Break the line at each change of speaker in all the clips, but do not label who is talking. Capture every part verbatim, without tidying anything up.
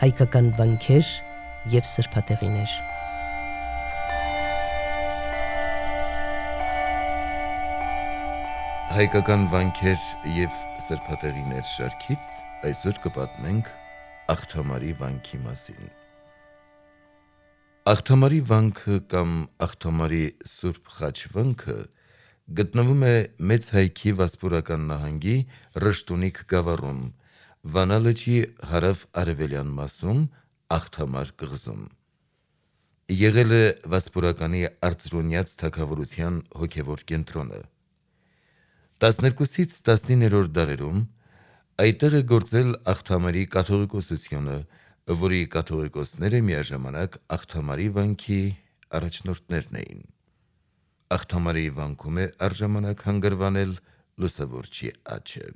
հայկական վանքեր և սրբատեղիներ։
Հայկական վանքեր և սրբատեղիներ շարքից այսօր կպատմենք Աղթամարի վանքի մասին։ Աղթամարի վանքը կամ Աղթամարի Սուրբ Խաչ վանքը գտնվում է Մեծ Հայքի Վասպուրական նահանգի Ռշտունիք գավառում, Վանա լճի հարավ-արևելյան մասում, Աղթամար կղզում։ Եղել է Վասպուրականի Արծրունյաց թագավորության հոգևոր կենտրոնը։ տասներկուսից տասնիններորդ դարերում այդտեղ է գործել Աղթամարի կաթողիկոսությունը, որի կաթողիկոսները միաժամանակ Աղթամարի վանքի առաջնորդներն էին։ Աղթամարի վանքում է առժամանակ հանգրվանել Լուսավորչի աչը։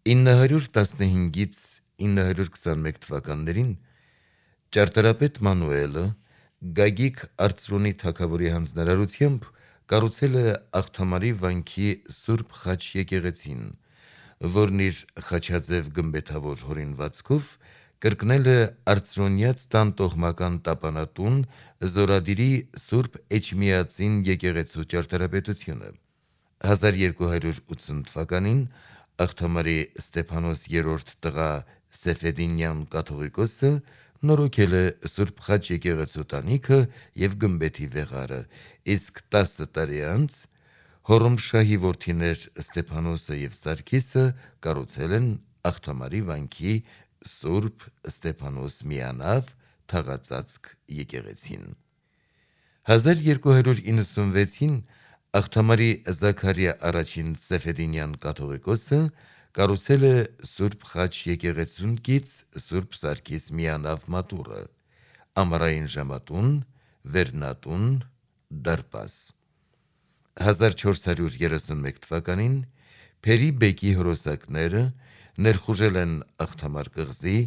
ինը հարյուր տասնհինգից ինը հարյուր քսանմեկ թվականներին ճարտարապետ Մանուելը Գագիկ Արծրունի թագավորի հանձնարարությամբ կառուցել է Աղթամարի վանքի Սուրբ Խաչ եկեղեցին, որն իր խաչաձև գմբեթավոր հորինվածքով կրկնել է Արծրունյաց տան տոհմական տապանատուն Զորադիրի Սուրբ Էջմիածին եկեղեցու ճարտարապետությունը։ հազար երկու հարյուր ութսուն թվականին Աղթամարի Ստեփանոս երրորդ տղա Սեֆեդինյան կաթողիկոսը նորոգել է Սուրբ Խաչ եկեղեցու տանիքը և գմբեթի վեղարը, իսկ տասը տարի անց Հոռոմշահի որդիներ Ստեփանոսը և Սարգիսը կառուցել են Աղթամարի վանքի Սուրբ Ստեփանոս միանավ թաղածածկ եկեղեցին։ հազար երկու հարյուր իննսունվեցին Աղթամարի Զաքարիա առաջին Սեֆեդինյան կաթողիկոսը կառուցել է Սուրբ Խաչ եկեղեցուն կից Սուրբ Սարգիս միանավ մատուռը, ամառային ժամատուն, վերնատուն, դարպաս։ հազար չորս հարյուր երեսունմեկ թվականին Փերի բեկի հրոսակները ներխուժել են Աղթամար կղզի,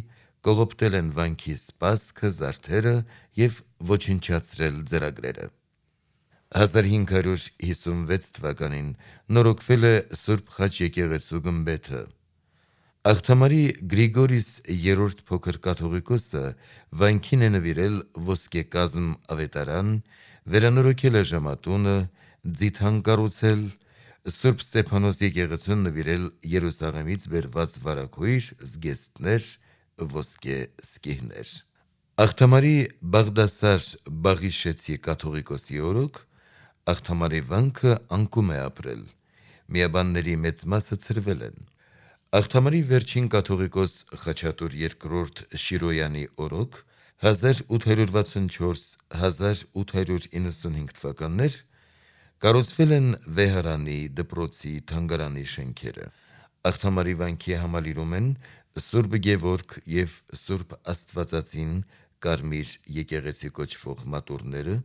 կողոպտել են վանքի սպասքը, զարդերը և ոչնչացրել ծերագրերը։ հազար հինգ հարյուր հիսունվեց թվականին նորոգվել է Սուրբ Խաչ եկեղեցու գմբեթը։ Աղթամարի Գրիգորիս երրորդ փոքր կաթողիկոսը վանքին է նվիրել ոսկեկազմ ավետարան, վերանորոգել է ժամատունը, ձիթան կառուցել, Սուրբ Ստեփանոս եկեղեցուն նվիրել Երուսաղեմից բերված վարագույր, զգեստներ, ոսկե սկիհներ։ Աղթամարի Բաղդասար Բաղիշեցի կաթողիկոսի օրոք Աղթամարի վանքը անկում է ապրել, միաբանների մեծ մասը ցրվել են։ Աղթամարի վերջին կաթողիկոս Խաչատուր երկրորդ Շիրոյանի օրոք հազար ութ հարյուր վաթսունչորս - հազար ութ հարյուր իննսունհինգ թվականներ կառուցվել են վեհարանի, դպրոցի, թանգարանի շենքերը։ Աղթամարի վանքի համալիրում են Սուրբ Գևորգ և Սուրբ Աստվածածին կարմիր եկեղեցի կոչվող մատուռները,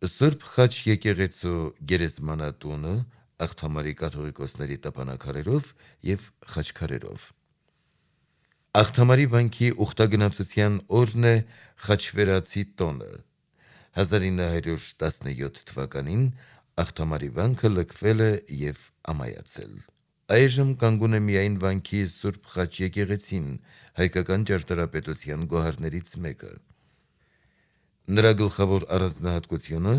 Սուրբ Խաչ եկեղեցու գերեզմանատունը Աղթամարի կաթողիկոսների տապանաքարերով և խաչքարերով։ Աղթամարի վանքի ուխտագնացության օրն է Խաչվերացի տոնը։ հազար ինը հարյուր տասնյոթ թվականին Աղթամարի վանքը լքվել է և ամայացել։ Այժմ կանգուն է միայն վանքի Սուրբ Խաչ եկեղեցին, հայկական ճարտարապետության գոհարներից մեկը։ Նրա գլխավոր առանձնահատկությունը,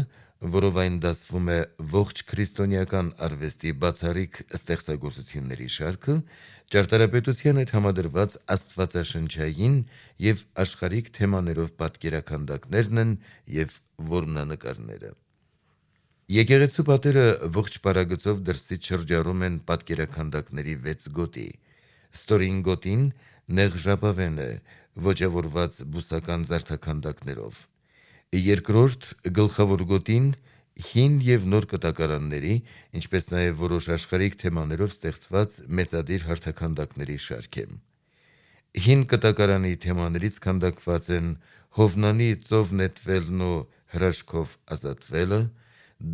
որով այն դասվում է ողջ քրիստոնեական արվեստի բացառիկ ստեղծագործությունների շարքը, ճարտարապետության հետ համադրված աստվածաշնչային և աշխարհիկ թեմաներով պատկերաքանդակներն են և որմնանկարները։ Եկեղեցու պատերը ողջ պարագծով դրսից շրջառում են պատկերաքանդակների վեց գոտի։ Ստորին գոտին նեղ ժապավեն է, ոճավորված բուսական զարդաքանդակներով։ Երկրորդ գլխավոր գոտին հին և նոր կտակարանների, ինչպես նաև որոշ աշխարհիկ թեմաներով ստեղծված մեծադիր հարթաքանդակների շարք է։ Հին կտակարանի թեմաներից քանդակված են Հովնանի ծով նետվելն ու հրաշքով ազատվելը,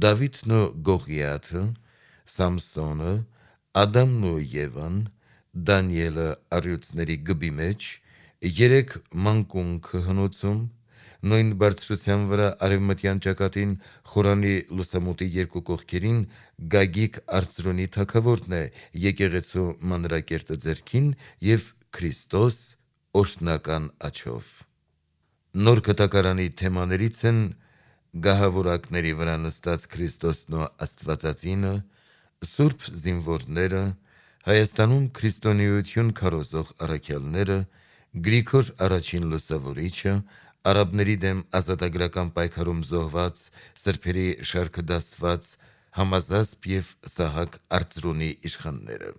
Դավիթն ու Գողիաթը, Սամսոնը, Ադամն ու Եվան, Դանիելը առյուծների գբի մեջ, երեք մանկունքը հնոցում, նույն բարձրության վրա արևմտյան ճակատին խորանի լուսամուտի երկու կողքերին Գագիկ Արծրունի թագավորն է եկեղեցու մանրակերտը ձեռքին և Քրիստոս օրհնական աչով։ Նոր կտակարանի թեմաներից են գահավորակների վրա նստած Քրիստոսն ու Աստվածածինը, սուրբ զինվորները, Հայաստանում քրիստոնեություն քարոզող առաքյալները, Գրիգոր առաջին լուսավորիչը, արաբների դեմ ազատագրական պայքարում զոհված սրբերի շարքը դասված Համազասպ և Սահակ Արծրունի իշխանները։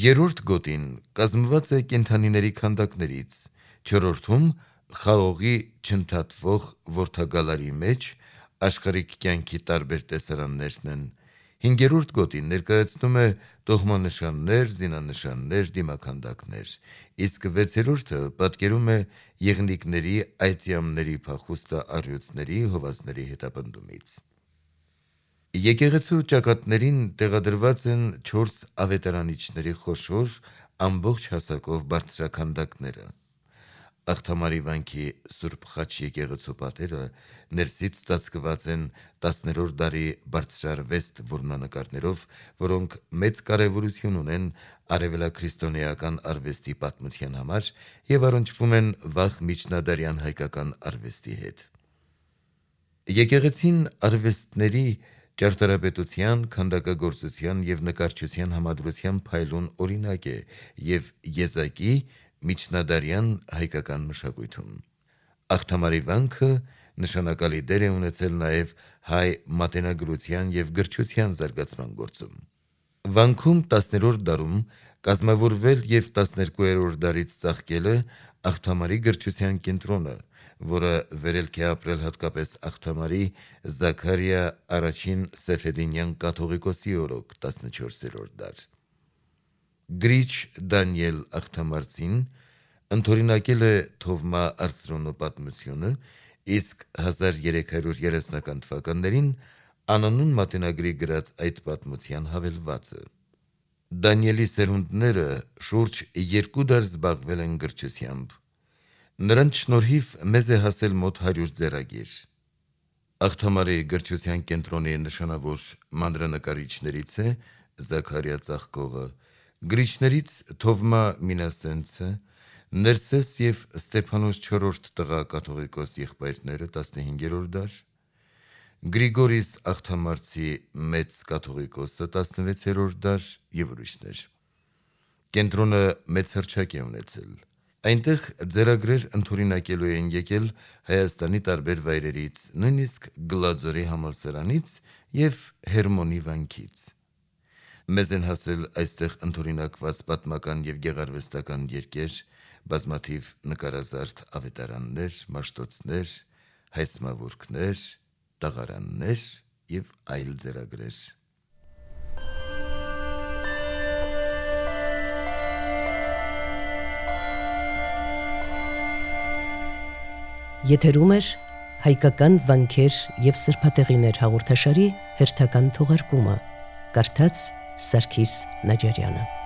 Երրորդ գոտին կազմված է կենդանիների քանդակներից, չորրորդում խաղողի չընդհատվող որդագալարի մեջ աշխարհիկ կյանքի տարբեր տեսարաններն են, հինգերորդ գոտին ներկայացնում է տոհմանշաններ, զինանշաններ, դիմաքանդակներ, իսկ վեցերորդը պատկերում է եղնիկների, այծյամների փախուստը առյուծների, հովազների հետապնդումից։ Եկեղեցու ճակատներին տեղադրված են չորս ավետարանիչների խոշոր, ամբողջ հասակով բարձրաքանդակները։ Աղթամարի վանքի Սուրբ Խաչ եկեղեցու պատերը ներսից ծածկված են տասներորդ դարի բարձրարվեստ որմնանկարներով, որոնք մեծ կարևորություն ունեն արևելաքրիստոնեական արվեստի պատմության համար և առնչվում են վաղ միջնադարյան հայկական արվեստի հետ։ Եկեղեցին արվեստների, ճարտարապետության, քանդակագործության և նկարչության համադրության փայլուն օրինակ է և եզակի միջնադարյան հայկական մշակույթում։ Աղթամարի վանքը նշանակալի դեր է ունեցել նաև հայ մատենագրության և գրչության զարգացման գործում։ Վանքում տասներորդ դարում կազմավորվել և տասներկուերորդ դարից ծաղկել է Աղթամարի գրչության կենտրոնը, որը վերելք է ապրել հատկապես Աղթամարի Զաքարիա առաջին Սեֆեդինյան կաթողիկոսի օրոք տասնչորսերորդ դար։ Գրիչ Դանիել Աղթամարցին ընդօրինակել է Թովմա Արծրունու պատմությունը, իսկ հազար երեք հարյուր երեսնական թվականներին անանուն մատենագրի գրած այդ պատմության հավելվածը։ Դանիելի սերունդները շուրջ երկու դար զբաղվել են գրչությամբ։ Նրանց շնորհիվ մեզ է հասել մոտ հարյուր ձեռագիր։ Աղթամարի գրչության կենտրոնի նշանավոր մանրանկարիչներից է Զաքարիա Ծաղկողը, գրիչներից Թովմա Մինասենցը, Ներսես և Ստեփանոս չորրորդ տղա կաթողիկոս եղբայրները տասնհինգերորդ դար, Գրիգորիս Աղթամարցի մեծ կաթողիկոսը տասնվեցերորդ դար և ուրիշներ։ Կենտրոնը մեծ հռչակ է ունեցել։ Այնտեղ ձեռագրեր ընդօրինակելու են եկել Հայաստանի տարբեր վայրերից, նույնիսկ Գլաձորի համալսարանից և Հերմոնի վանքից։ Մեզ են հասել այստեղ ընդօրինակված պատմական և գեղարվեստական երգեր, բազմաթիվ նկարազարդ ավետարաններ, մաշտոցներ, հայսմավորքներ, տաղարաններ և այլ ձեռագրեր։
Եթերում էր հայկական վանքեր և սրբատեղիներ հաղորդաշարի հերթական թողարկումը, կարդաց Սարգիս Նաջարյանը։